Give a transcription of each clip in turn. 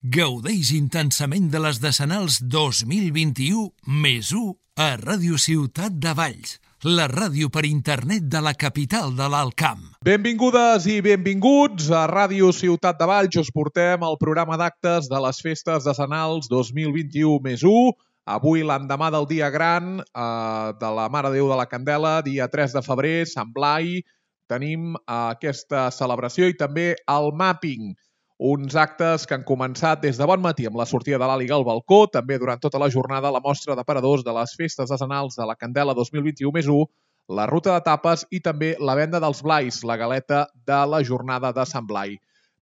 Gaudeix intensament de les Decenals 2021 més 1 a Ràdio Ciutat de Valls, la ràdio per internet de la capital de l'Alt Camp. Benvingudes i benvinguts a Ràdio Ciutat de Valls. Us portem el programa d'actes de les festes decenals 2021 més 1. Avui, l'endemà del dia gran de la Mare de Déu de la Candela, dia 3 de febrer, Sant Blai, tenim aquesta celebració i també el mapping. Uns actes que han començat des de bon matí amb la sortida de l'Àliga al balcó, també durant tota la jornada la mostra d'aparadors de les festes decenals de la Candela 2021 més 1, la ruta de tapes i també la venda dels blais, la galeta de la jornada de Sant Blai.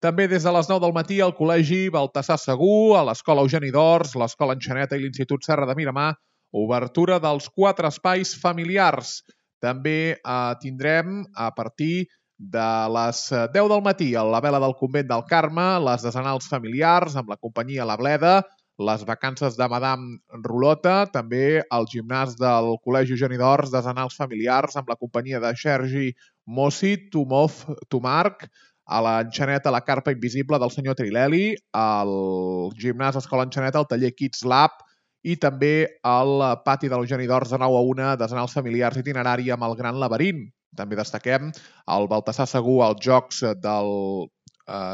També des de les 9 del matí al Col·legi Baltasar Segur, a l'Escola Eugeni d'Ors, l'Escola Enxaneta i l'Institut Serra de Miramar, obertura dels 4 espais familiars. També tindrem a partir de les 10 del matí a la vela del Convent del Carme, les decenals familiars amb la companyia La Bleda, les vacances de Madame Rulota, també el gimnàs del Col·legi Eugeni d'Ors, decenals familiars amb la companyia de Sergi Mossi, Tomarc, a l'Enxaneta la Carpa Invisible del senyor Trileli, al gimnàs Escola Enxaneta el taller Kids Lab i també al pati de l'Eugeni d'Ors de 9 a 1, decenals familiars itinerari amb el Gran Laberint. També destaquem el Baltasar Segur als Jocs del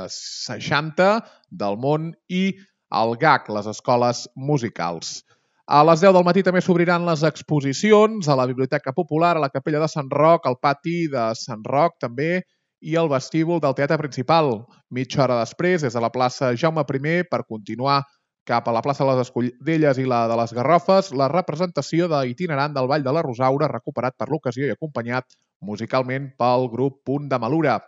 60 del món i el GAC, les escoles musicals. A les 10 del matí també s'obriran les exposicions a la Biblioteca Popular, a la Capella de Sant Roc, al pati de Sant Roc també i al vestíbul del Teatre Principal. Mitja hora després, des de la plaça Jaume I, per continuar cap a la plaça de les Escudelles i la de les Garrofes, la representació d'itinerant del Ball de la Rosaura, recuperat per l'ocasió i acompanyat musicalment pel grup Punt de Malura.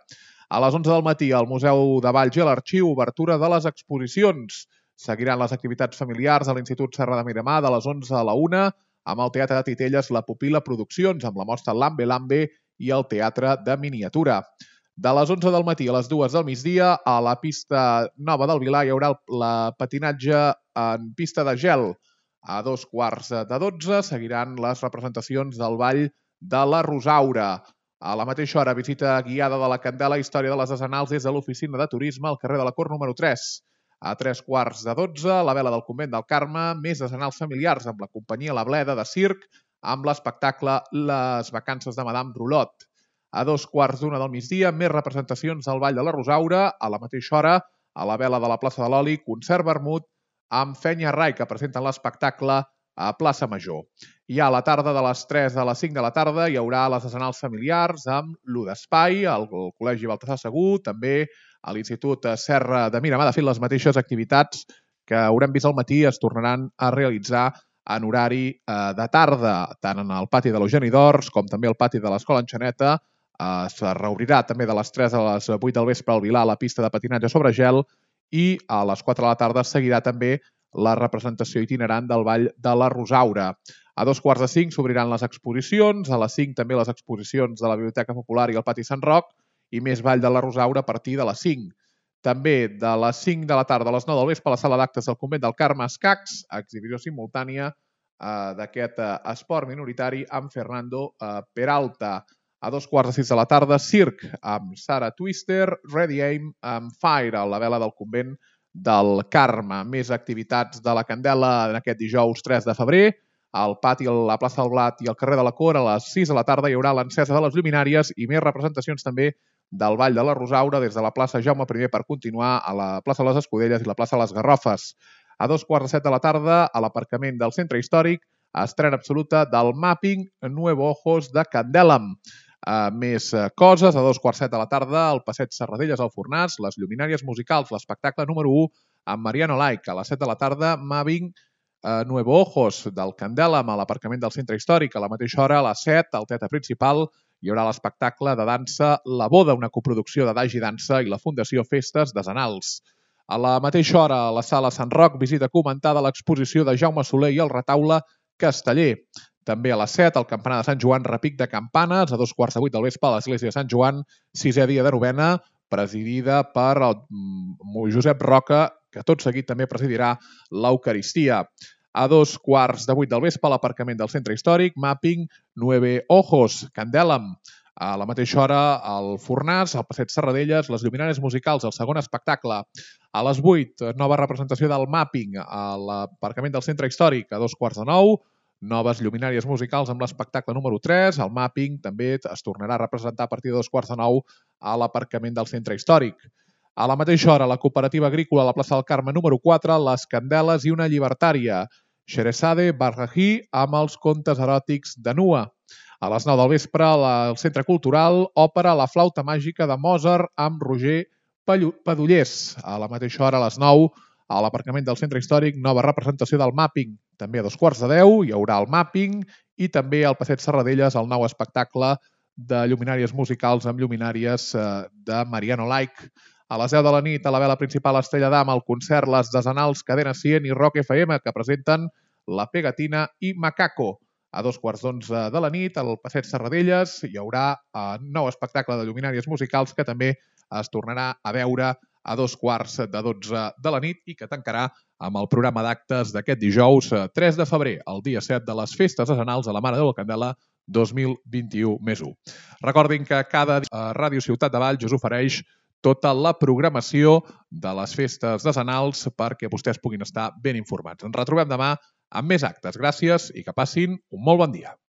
A les 11 del matí, al Museu de Valls i a l'Arxiu, obertura de les exposicions. Seguiran les activitats familiars a l'Institut Serra de Miramar de les 11 a la 1, amb el Teatre de Titelles La Pupila Produccions, amb la mostra Lambe Lambe i el Teatre de Miniatura. De les 11 del matí a les 2 del migdia, a la pista nova del Vilar hi haurà el patinatge en pista de gel. A 11:15 seguiran les representacions del Ball de la Rosaura. A la mateixa hora, visita guiada de la Candela, història de les decenals des de l'oficina de turisme al carrer de la Cort número 3. A 15:45, la vela del Convent del Carme, més decenals familiars amb la companyia La Bleda de circ, amb l'espectacle Les vacances de Madame Rulot. A 2:15 del migdia, més representacions del Ball de la Rosaura. A la mateixa hora, a la vela de la plaça de l'Oli, concert vermut amb Fenya Rai, que presenten l'espectacle a Plaça Major. I a la tarda, de les 3 a les 5 de la tarda, hi haurà les decenals familiars amb l'U d'Espai, al Col·legi Baltasar Segur, també a l'Institut Serra de Miramar. De fet, les mateixes activitats que haurem vist al matí es tornaran a realitzar en horari de tarda, tant en el pati de l'Eugeni d'Ors com també al pati de l'Escola Enxaneta. Es reobrirà també de les 3 a les 8 del vespre al Vilar la pista de patinatge sobre gel i a les 4 de la tarda seguirà també la representació itinerant del Ball de la Rosaura. A 4:45 s'obriran les exposicions, a les 5 també les exposicions de la Biblioteca Popular i el pati Sant Roc i més Ball de la Rosaura a partir de les 5. També de les 5 de la tarda a les 9 del vespre a la sala d'actes del Convent del Carme Escacs, exhibició simultània d'aquest esport minoritari amb Fernando Peralta. A 5:15 de la tarda, circ amb Sara Twister, Ready Aim amb Fire a la vela del Convent del Carme. Més activitats de la Candela en aquest dijous 3 de febrer. Al pati, a la plaça del Blat i al carrer de la Cor, a les 6 de la tarda hi haurà l'encesa de les lluminàries i més representacions també del Ball de la Rosaura des de la plaça Jaume I per continuar a la plaça de les Escudelles i la plaça de les Garrofes. A 2:15 de la tarda, a l'aparcament del Centre Històric, estrena absoluta del mapping Nuevo Ojos de Candelam. Més coses, a 2:15 de la tarda, al passeig Serradelles al Fornàs, les lluminàries musicals, l'espectacle número 1 amb Mariano Laik. A les 7 de la tarda, Mapping Nuevo Ojos del Candelam a l'aparcament del Centre Històric. A la mateixa hora, a les 7, al Teatre Principal, hi haurà l'espectacle de dansa La Boda, una coproducció de Dagi Dansa i la Fundació Festes Decenals. A la mateixa hora, a la sala Sant Roc, visita comentada a l'exposició de Jaume Soler i el retaule Casteller. També a les 7, al campanar de Sant Joan, repic de campanes, a 2:15 del vespre a l'església de Sant Joan, 6è dia de novena, presidida per el Josep Roca, que tot seguit també presidirà l'Eucaristia. A 7:15 del vespre, a l'aparcament del Centre Històric, Mapping Nueve Ojos, Candelam. A la mateixa hora, al Fornàs, al passeig Serradelles, les lluminàries musicals, el segon espectacle. A les 8, nova representació del Mapping a l'aparcament del Centre Històric a 8:45. Noves lluminàries musicals amb l'espectacle número 3. El Mapping també es tornarà a representar a partir de 8:45 a l'aparcament del Centre Històric. A la mateixa hora, la cooperativa agrícola a la plaça del Carme número 4, les Candeles i una llibertària, Sheresade Barrají amb els contes eròtics de Nua. A les 9 del vespre, al Centre Cultural, òpera La flauta màgica de Mozart amb Roger Padullers. A la mateixa hora, a les 9, a l'aparcament del Centre Històric, nova representació del Mapping. També a 9:15 hi haurà el Mapping i també al Passeig Serradelles el nou espectacle de lluminàries musicals amb lluminàries de Mariano Laic. A les 10 de la nit, a la vela principal Estrella d'Am, el concert Les Desenals, Cadena 100 i Rock FM, que presenten La Pegatina i Macaco. A 2:15 de la nit, al Passeig Serradelles, hi haurà un nou espectacle de lluminàries musicals que també es tornarà a veure a 2:45 de la nit i que tancarà amb el programa d'actes d'aquest dijous 3 de febrer, el dia 7 de les festes decenals a la Mare de la Candela 2021+1. Recordin que cada dia Ràdio Ciutat de Valls us ofereix tota la programació de les festes decenals perquè vostès puguin estar ben informats. Ens retrobem demà amb més actes. Gràcies i que passin un molt bon dia.